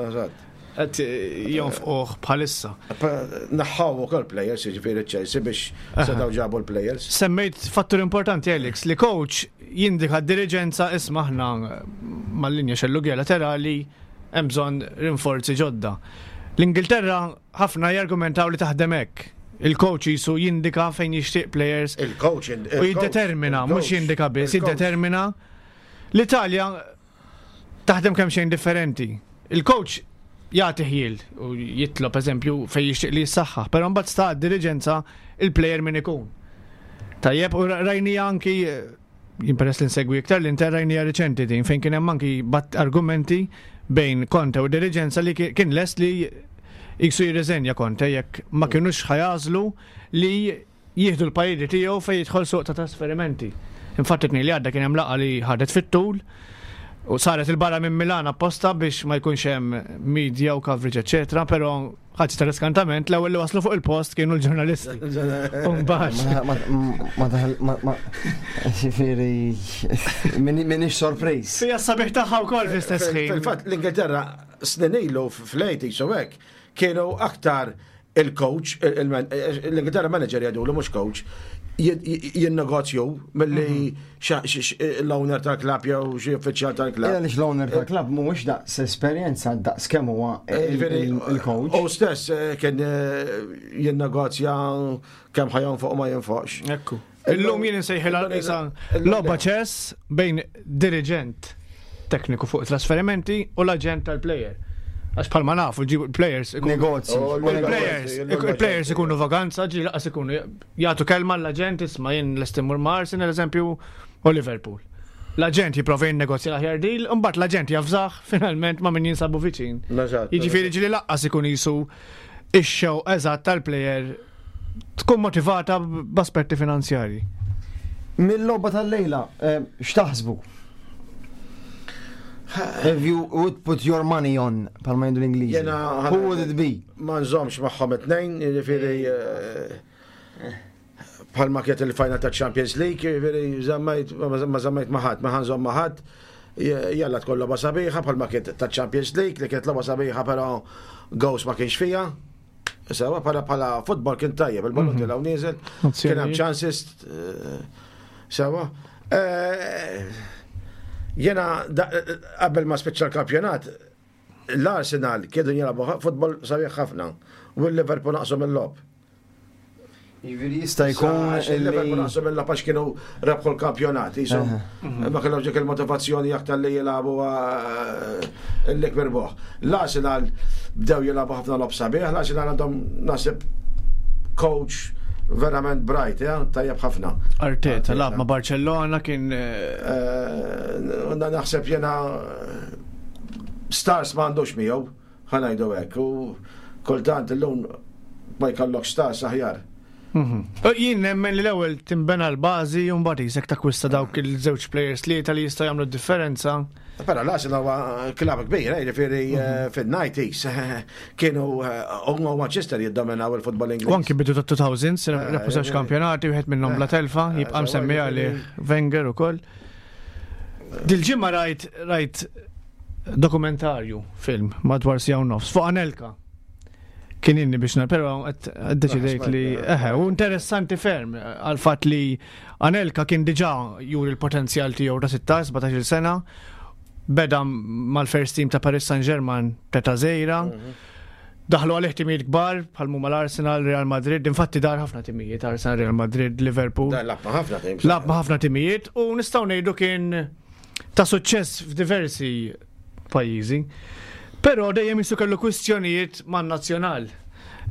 Eżatt. qed jonfquh bħalissa. Naħħaw ukoll players, jiġifieri Chelsea biex setgħu ġabu l-players. Semmejt fattur importanti Alex li coach jindika d-diriġenza isma' aħna mal-linja xellugija laterali hemm bżonn rinforzi ġodda. L-Ingilterra ħafna jargumentaw li taħdem hekk. Il-coach jisu jindika fejn jixtieq players. Il-coach u jiddetermina, mhux jindika biss, jiddetermina. L-Italja taħdem kemm xejn differenti. Il-coach jagħti ħjiel u jitlob eżempju fejn jixtieq li jissaħħaħ, però mbagħad sta diriġenza il-player min ikun. Tajjeb, u rajnija anki jien peress li nsegwi iktar l-Inter rajnija riċenti din fejn kien hemm anki bat argumenti bejn Conte u diriġenza li kien lest li jiksu jirriżenja Conte jekk ma kinux ħajażlu li jieħdu l-pariri tiegħu fejn jidħol suq ta' trasferimenti. Infatti t-tnejn li għadda kien hemm laqgħa li ħadet fit-tul u saret il-barra minn Milan apposta biex ma jkunx hemm media u coverage eċetera, però ħaġa ta' riskantament l-ewwel li waslu fuq il-post kienu l-ġurnalisti. Ma ma ġifieri minix sorpriż. Fija sabiħ tagħha wkoll fl-istess ħin. Fil-fatt l-Ingilterra snin ilu fl-80s u hekk kienu aktar il-coach, l-Ingilterra manager jgħidulu mhux coach, jinnegozju milli mhm. l-owner tal-klab jew xi uffiċjal tal-klab. Għaliex l-owner tal-klab mhuwiex daqs esperjenza daqs kemm huwa eh, il-coach. U stess eh, kien eh, jinnegozja kemm ħajon fuq ma jinfoqx. Ekku. Illum jien insejħilha qisha logħba ċess bejn diriġent tekniku fuq trasferimenti u l-aġent tal-plejer. Għax bħalma nafu ġibu players Negozji. Oh, Il-players, il-players ikunu vaganza, ġi laqas ikunu jagħtu kelma l-aġent isma' jien lest immur ma' Arsenal eżempju u Liverpool. L-aġent jipprova jinnegozja l-aħjar deal, imbagħad l-aġent jafżah finalment ma' min jinsabu viċin. Jiġifieri ġieli laqqas ikun jisu ix-xewq eżatt tal-plejer tkun motivata b'aspetti finanzjarji. Mill-logħba tal-lejla, eh, x'taħsbu? If you would put your money on, palma jgħidu l-Ingliżi. Jena, Who would it be? Ma nżomx magħhom it-tnejn, jiġifieri eh, bħalma kienet il-final ta' Champions League, jiġifieri żammejt ma żammejt ma' ħadd, ma ħanżomm ma' ħadd. Jalla tkun logħba sabiħa bħalma kienet ta' Champions League li kienet logħba sabiħa però goals ma kienx fija. Sewa bħala bħala futbol kien tajjeb, il-ballun mhm. tilgħu nieżel, kien hemm chances eh, sewa. Eh, jena qabel ma spiċċa l-kampjonat, l-Arsenal kienu jilagħbu futbol sabiħ ħafna u l-Liverpool naqsu mill-lob. Jiġifieri jista' jkun. Il-Liverpool naqsu mill-lob għax kienu rebħu l-kampjonat, jisom. Ma kellhomx dik il-motivazzjoni aktar li jilagħbu eh, l-ikber boħ. L-Arsenal bdew jilagħbu ħafna lob sabiħ, l-Arsenal għandhom nasib coach verament bright, ja, tajjeb ħafna. Arteta lab ma' Barcellona kien. Eh, eh, naħseb jena stars ma għandux miegħu. Ħa ngħidu hekk, u kultant illum ma jkollokx stars aħjar. Mhm. Jien nemmen li l-ewwel tinbena l-bażi u mbagħad isek takkwista dawk il-żewġ players li li jistgħu jagħmlu d-differenza. Però l-Arsenal huwa klabb kbir, eh, jiġifieri mhm. eh, fin-90s eh, kienu huma Manchester jiddominaw il-futbol Ingliż. U anki bidu ta' 2000s rebħu żewġ kampjonati wieħed minnhom bla telfa, jibqa' msemmi għalih Wenger ukoll. Dil-ġimgħa rajt rajt dokumentarju film madwar siegħa u nofs fuq Anelka. Kien inni biex nar, però deċidejt li eħe, u interessanti ferm għal fatt li Anelka kien diġà juri l-potenzjal tiegħu ta' 16-17 sena, beda mal-first team ta' Paris Saint-Germain teta' żejra. Mhm. Daħlu għalih timijiet kbar bħal mhuma l-Arsenal, Real Madrid, infatti dar ħafna timijiet, Arsenal, Real Madrid, Liverpool. Lab ma' ħafna timijiet. Lab ma' ħafna timijiet u nistgħu ngħidu kien ta' suċċess f'diversi pajjiżi. Però dejjem jisu kellu kwistjonijiet man-nazzjonal.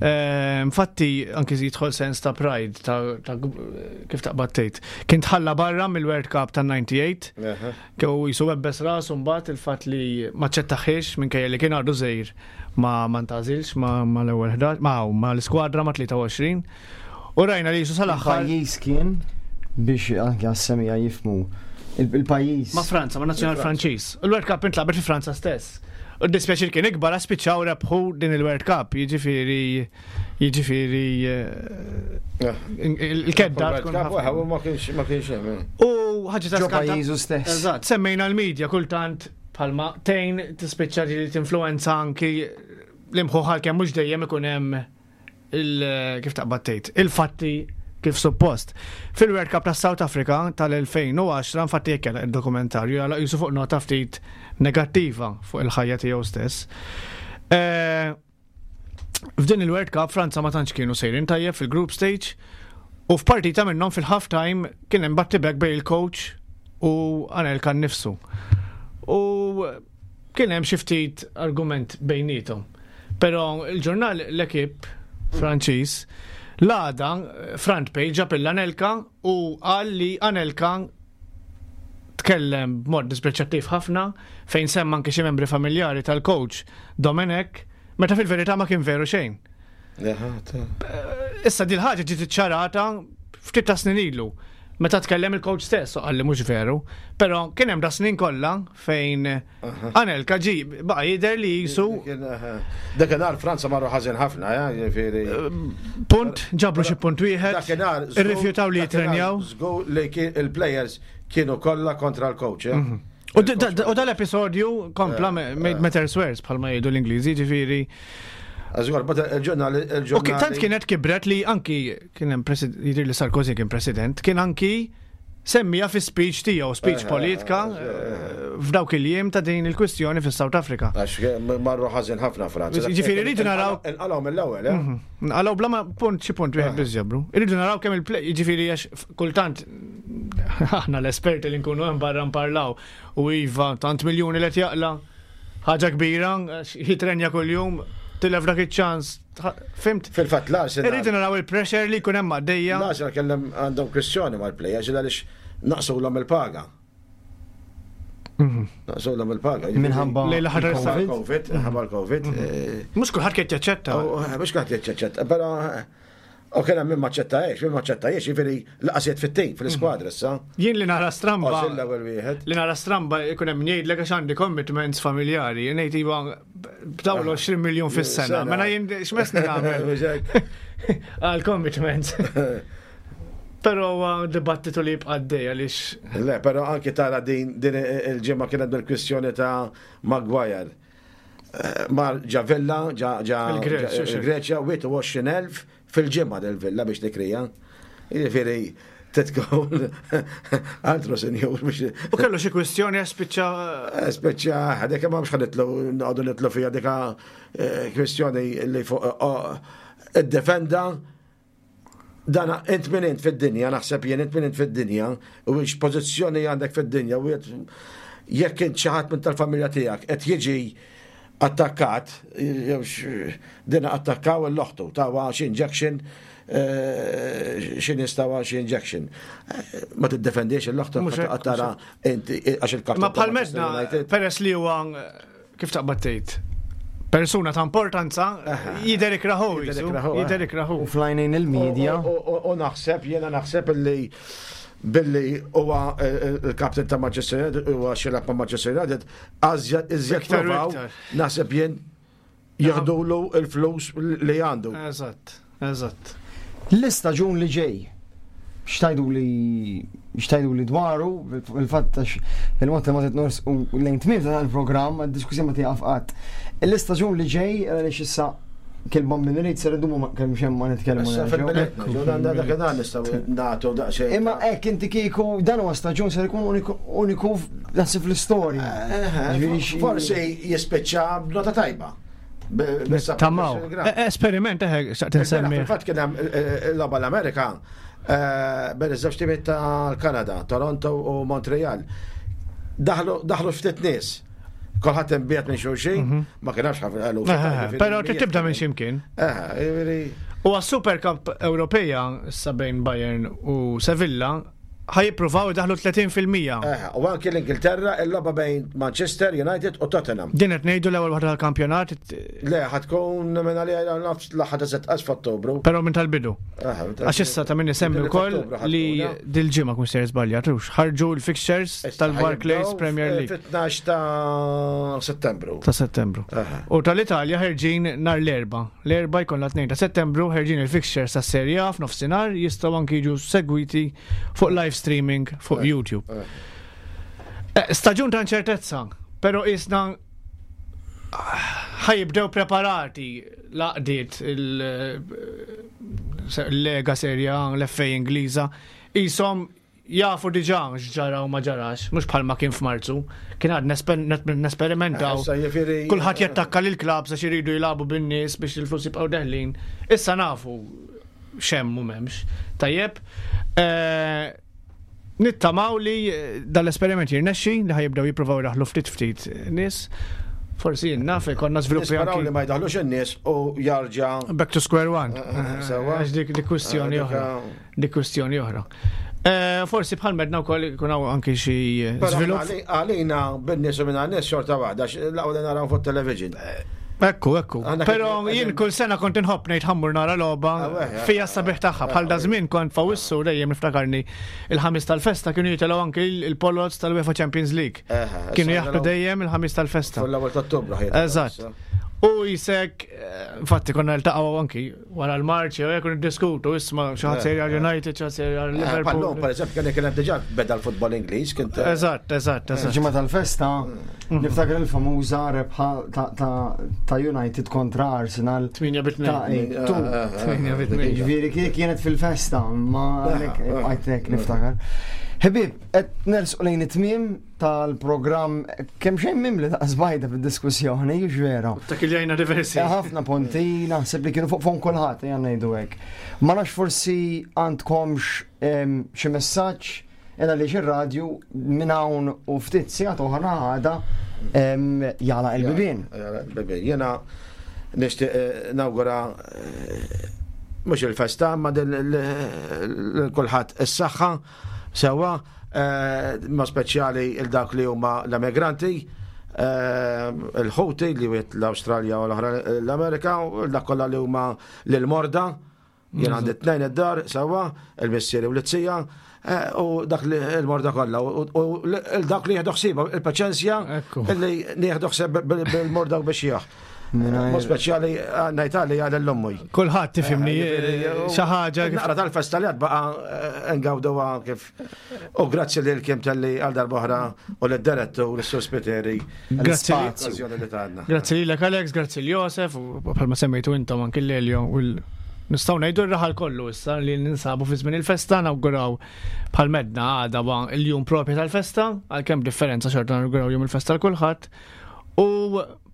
Eh, infatti, anki jidħol sens ta' pride, ta' kif taqbad tgħid. Kien tħalla barra mill-World Cup ta' 98, kew jisu webbes rasu mbagħad il-fatt li ma ċettaħiex minkejja li kien għadu żejr ma ma ntgħażilx ma mal-ewwel 11, ma ma l-iskwadra ma 23. U rajna li jisu sal-aħħar. Il-pajjiż kien biex anke għas-semija jifmu il-pajjiż. Ma' Franza, ma' nazzjonal Franċiż. Il-World Cup intlagħbet fi Franza stess. U d-dispjaċir kien ikbar għax spiċċaw rebħu din il-World Cup, jiġifieri jiġifieri eh, il-kedda tkun ħafna. Ma kienx ma kienx hemm. Eh. U ħaġa ta' pajjiżu stess. Eżatt, semmejna l-medja kultant Bħalma tgħin tispiċċa li tinfluwenza anki l-imħuħ għalkemm mhux dejjem ikun hemm il kif taqbad tgħid, il-fatti kif suppost. Fil-World Cup ta' South Africa tal-2010, infatti jekk il-dokumentarju għala jisu fuq nota ftit negattiva fuq il-ħajja tiegħu stess. Eh, f'din il-World Cup Franza ma tantx kienu sejrin tajjeb fil-group stage u f'partita minnhom fil-half time kien hemm battibek bejn il-coach u Anelka nnifsu. U kien hemm xi ftit argument bejniethom. Però il-ġurnal L'Equipe Franċiż l-għada front page ġab Anelka u qal li Anelka tkellem b'mod dispreċattiv ħafna fejn semma anke xi membri familjari tal-coach Domenech meta fil-verità ma kien veru xejn. Issa dil ħaġa ġiet iċċarata ftit ta' snin ilu. Meta tkellem il-coach stess, u qalli mhux veru, però kien hemm da snin kollha fejn Anelka ġi baqa' jidher li jisu. Dakinhar Franza marru ħażin ħafna, ja, jiġifieri. Punt, ġabru xi punt wieħed. Dakinhar irrifjutaw li jitrenjaw. Żgur li il-players kienu kollha kontra l-coach. Eh? Mhm. U dal-episodju kompla eh, made eh. matters worse bħalma jgħidu l-Ingliżi, ġifieri. Għażgur, but il-ġurnal il-ġurnal. U tant kienet kibret li anki kien hemm jidher li Sarkozy kien president, kien anki semmija fi speech tiegħu, speech eh, politika f'dawk il-jiem ta' din il-kwistjoni fis South Africa. Għax marru ħażin ħafna Franza. Ġifieri rridu naraw. Inqalgħu mill-ewwel, eh? Mhm. Nqalgħu bla ma punt xi punt wieħed biss ġabru. Irridu naraw kemm il-play, jiġifieri għax kultant aħna l-esperti li nkunu hemm barra nparlaw u iva tant miljuni li qed jaqla' ħaġa kbira, jitrenja kuljum, tilef dak iċ-ċans. Fimt? Fil-fatt l-Arsenal. Irridu naraw il-pressure li jkun hemm għaddejja. L-Arsenal kellhom għandhom kwistjoni mal-plejers għaliex naqsulhom il-paga. Mhm. Naqsulhom il-paga. Minħabba il-Covid. Minħabba l-Covid. Mhm. Eh, Mhux kulħadd kien jaċċetta. Eh, mhux kulħadd jaċċetta, però eh, u kien hemm min maċċettajiex, min maċċettajiex, jiġifieri laqasiet fit-tim fl-iskwadra issa. Jien li nara stramba. Li nara stramba jkun hemm jgħidlek għax għandi commitments familjari, ngħid iva b'dawn 20 miljun fis-sena. Mela jien x'messni nagħmel. Għal commitments. Però huwa dibattitu li jibqa' għaddej għaliex. Le, però anki tara din din il-ġimgħa kienet bil-kwistjoni ta' Maguire. Eh, mar ġa villa, ġa ġa il-Greċja, 21,000 fil-ġimgħa del villa biex tikrija. Jiġifieri titkun altro senjur biex. U kellu xi kwistjoni għax spiċċa. Eh, spiċċa, dik ma mhux ħanitlu noqogħdu nitlu fiha dika eh, kwistjoni li fuq oh, id-defenda Dan int min int fid-dinja, naħseb jien int min int fid-dinja, u x-pożizzjoni għandek fid-dinja, u jekk int xi ħadd minn tal-familja tiegħek qed jiġi attakkat, din attakkaw l-oħtu, tawa xi injection, eh, xi nies tawa xi injection. Eh, ma tiddefendix l-oħtu tara inti għax il-kap. Ma bħal medna, peress li huwa kif taqbad tgħid, persuna ta' importanza jidher ikraħu. Jidher ikraħu. U flajnejn il-medja. U naħseb, jiena naħseb li billi huwa eh, eh, il-kapten ta' Manchester United, huwa xilab ma' Manchester United, għażjed iżjed provaw, naħseb jien jaħdulu il-flus li għandu. Eżatt. Eżatt. L-istaġun li ġej, x'tajdu li x'tajdu li dwaru, il-fatt għax il-mod li ma titnors u lejn tmiem ta' il-programm, diskussjoni ma tieqaf qatt. L-istaġun li ġej, għaliex issa kelma minn irid ser idumu ma kemm xemm ma nitkellmu. Imma hekk inti kieku dan huwa staġun ser ikun uniku naħseb fl-istorja. Eh, eh, forsi jispiċċa b'nota tajba. Tamaw. Eh, eh, esperiment, eh, xaqt insemmi. Fil-fatt kien hemm l-logħba l-Amerika bejn iż-żewġ timiet tal-Kanada, Toronto u Montreal. Daħlu ftit nies. Kulħadd imbiet minn xulxin, mhm. ma kien hemmx ħafna eluf. Però trid tibda minn x'imkien. U għas-Super Cup Ewropeja issa bejn Bayern u Sevilla ħa jippruvaw idaħlu 30%. Eh, u anki l-Ingilterra il-logħba bejn Manchester United u Tottenham. Din qed ngħidu l-ewwel waħda tal-kampjonat. Le, ħa tkun minn għalija nafs l-aħħar ta' setqas f'Ottubru. Però minn tal-bidu. Eh, Għax issa ta' min isemmi wkoll li dil-ġimgħa kun ser żbaljat, ħarġu l-fixtures tal-Barclays Premier League. Fit-12 ta' Settembru. Ta' Settembru. U tal-Italja ħerġin nar l-erba. L-erba jkollna 2 ta' Settembru ħerġin il-fixtures tas-Serie A f'nofsinhar jistgħu anki jiġu segwiti fuq live streaming fuq eh, YouTube. Eh. Eh, staġun ta' inċertezza, pero isna Ħa jibdew preparati l-għaqdiet il-Lega Serie A, l-FA Ingliża, qishom jafu diġà x'ġara u ma ġarax, mhux bħalma kien f'Marzu. Kien għad nesperimentaw. Kulħadd jattakka lil klabs għax iridu jilagħbu bin-nies biex il-flus jibqgħu deħlin. Issa nafu x'hemm u m'hemmx. Tajjeb. Eh, Nittamaw li dal-esperiment jirnexxi li ħa jibdew jippruvaw jdaħħlu ftit ftit nies. Forsi jien naf ikollna żviluppi anki. li ma jdaħlux in-nies u jarġa'. Back to square one. Eh, eh, eh, Sewa. Għax dik dik kwistjoni oħra. Dik kwistjoni oħra. Forsi bħal medna wkoll ikun hawn anki xi żvilupp. Għalina bin-nies u minn nies xorta waħda, l-aqwa li naraw fuq television. Ekku, ekku. Pero jien kull sena kont inħobb ngħid ħammur nara logħba ah, eh, fija sabiħ tagħha. Bħal da żmien kont fawissu dejjem niftakarni il-ħamis tal-festa kienu jitilgħu anki il-polots tal-UEFA Champions League. Eh, kienu jaħdu dejjem il-ħamis tal-festa. Fl-ewwel ta' Eżatt. U jisek, eh, infatti konna niltaqgħu anki wara l-marċ jew jekk niddiskutu isma' xi ħadd sejra United, xi ħadd sejra eh, Liverpool. Pallon, pereżempju, kien kien hemm diġà beda l-futbol Ingliż kien. Eżatt, eżatt, eżatt. Ġimgħa tal-festa mm. niftakar il-famuża rebħa ta' United kontra Arsenal. 8 bit 2. 8 bit 2. Ġifieri kienet fil-festa, ma għajtek niftakar. Ħbib, qed nersqu lejn it-tmiem tal-programm kemm xejn mimli ta' żbajda fid-diskussjoni, jux vera. Ta' kiljajna diversi. Eh, ħafna punti naħseb li kienu fuq fon kulħadd ejja ngħidu hekk. Ma nafx forsi għandkomx xi messaġġ illa li ir-radju minn hawn u ftit sigħat oħra għada jagħlaq il-bibien. Il-bibien. Jiena nixtieq eh, nawgura eh, mhux il-festa ma kulħadd is-saħħa Sewwa, ma speċjali il dak li huma l-emigranti, il-ħuti li wiet l-Awstralja u l-oħra l-Amerika, u dak kollha li huma l-morda, jien għandi tnejn id-dar, sewwa, il-missieri u l-tija, u dak li l-morda kollha, u dak li jieħdu ħsiebha, il-paċenzja li nieħdu ħsieb bil-morda u biex jaħ. Mod speċjali ngħid għalli għal l-ommi. Kulħadd tifhimni eh, xi ħaġa. Naqra tal-festa li għad baqa' eh, ngawduha kif. U grazzi lil kim talli għal darb'oħra u lid-direttur u l-Sur Spiteri. Grazzi. Grazzi lilek Alex, grazzi l Josef u bħalma semmejtu intom anki l-Elio u Nistgħu ngħidu r-raħal kollu issa li ninsabu fi żmien il-festa nawguraw bħal medna għada il-jum propju tal-festa, għalkemm differenza xorta nawguraw jum il-festa l kulħadd. U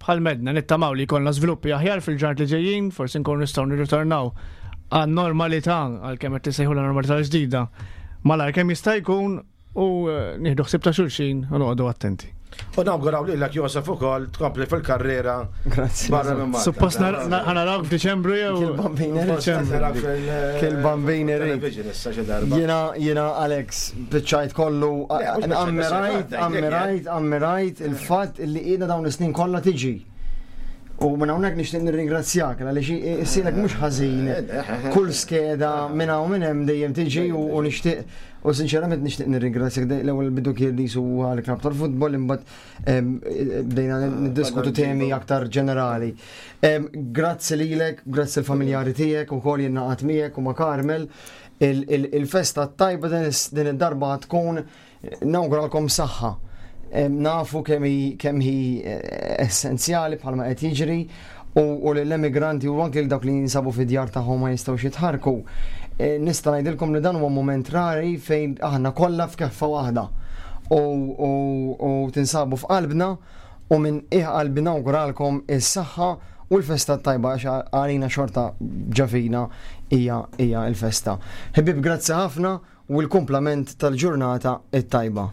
Bħal m'għedna, nittamaw li jkollna żviluppi aħjar fil-ġranet li ġejjin, forsi nkunu nistgħu nirritornaw għan-normalità, għalkemm qed tissejħulha normalità ġdida, malajr kemm jista' jkun u eh, nieħdu ħsieb ta' xulxin u noqogħdu attenti. U nawguraw lilek Josef ukoll tkompli fil-karriera. Grazzi. Barra minn Malta. Suppost ħanarawk f'Diċembru jew. Kil-bambini. Kil-bambini. Jiena jiena Alex biċċajt kollu ammirajt, ammirajt, ammirajt il-fatt li qiegħda dawn is-snin kollha tiġi. U minn hawnhekk nixtieq nirringrazzjak għaliex issilek mhux ħażin kull skeda minn hawn minn hemm dejjem tiġi u nixtieq u sinċerament nixtieq nirringrazzjak l-ewwel bidu kien li huwa l-klab tal-futbol imbagħad bdejna niddiskutu temi aktar ġenerali. Grazzi lilek, grazzi l-familjari tiegħek ukoll jien naqgħod miegħek u ma' Carmel. Il-festa tajba din id-darba tkun Nawguralkom saħħa. Nafu kemm hi eh, essenzjali bħalma qed jiġri u lill-emigranti u anke dawk li jinsabu fid-djar tagħhom ma jistgħux jitħarku. Eh, nista' ngħidilkom li dan huwa mument rari fejn aħna kollha f'keffa waħda u tinsabu f'qalbna u minn qiegħ qalbi nawguralkom is-saħħa u l-festa tajba għax għalina xorta ġafina hija hija l-festa. Ħbieb grazzi ħafna u l-kumplament tal-ġurnata t-tajba.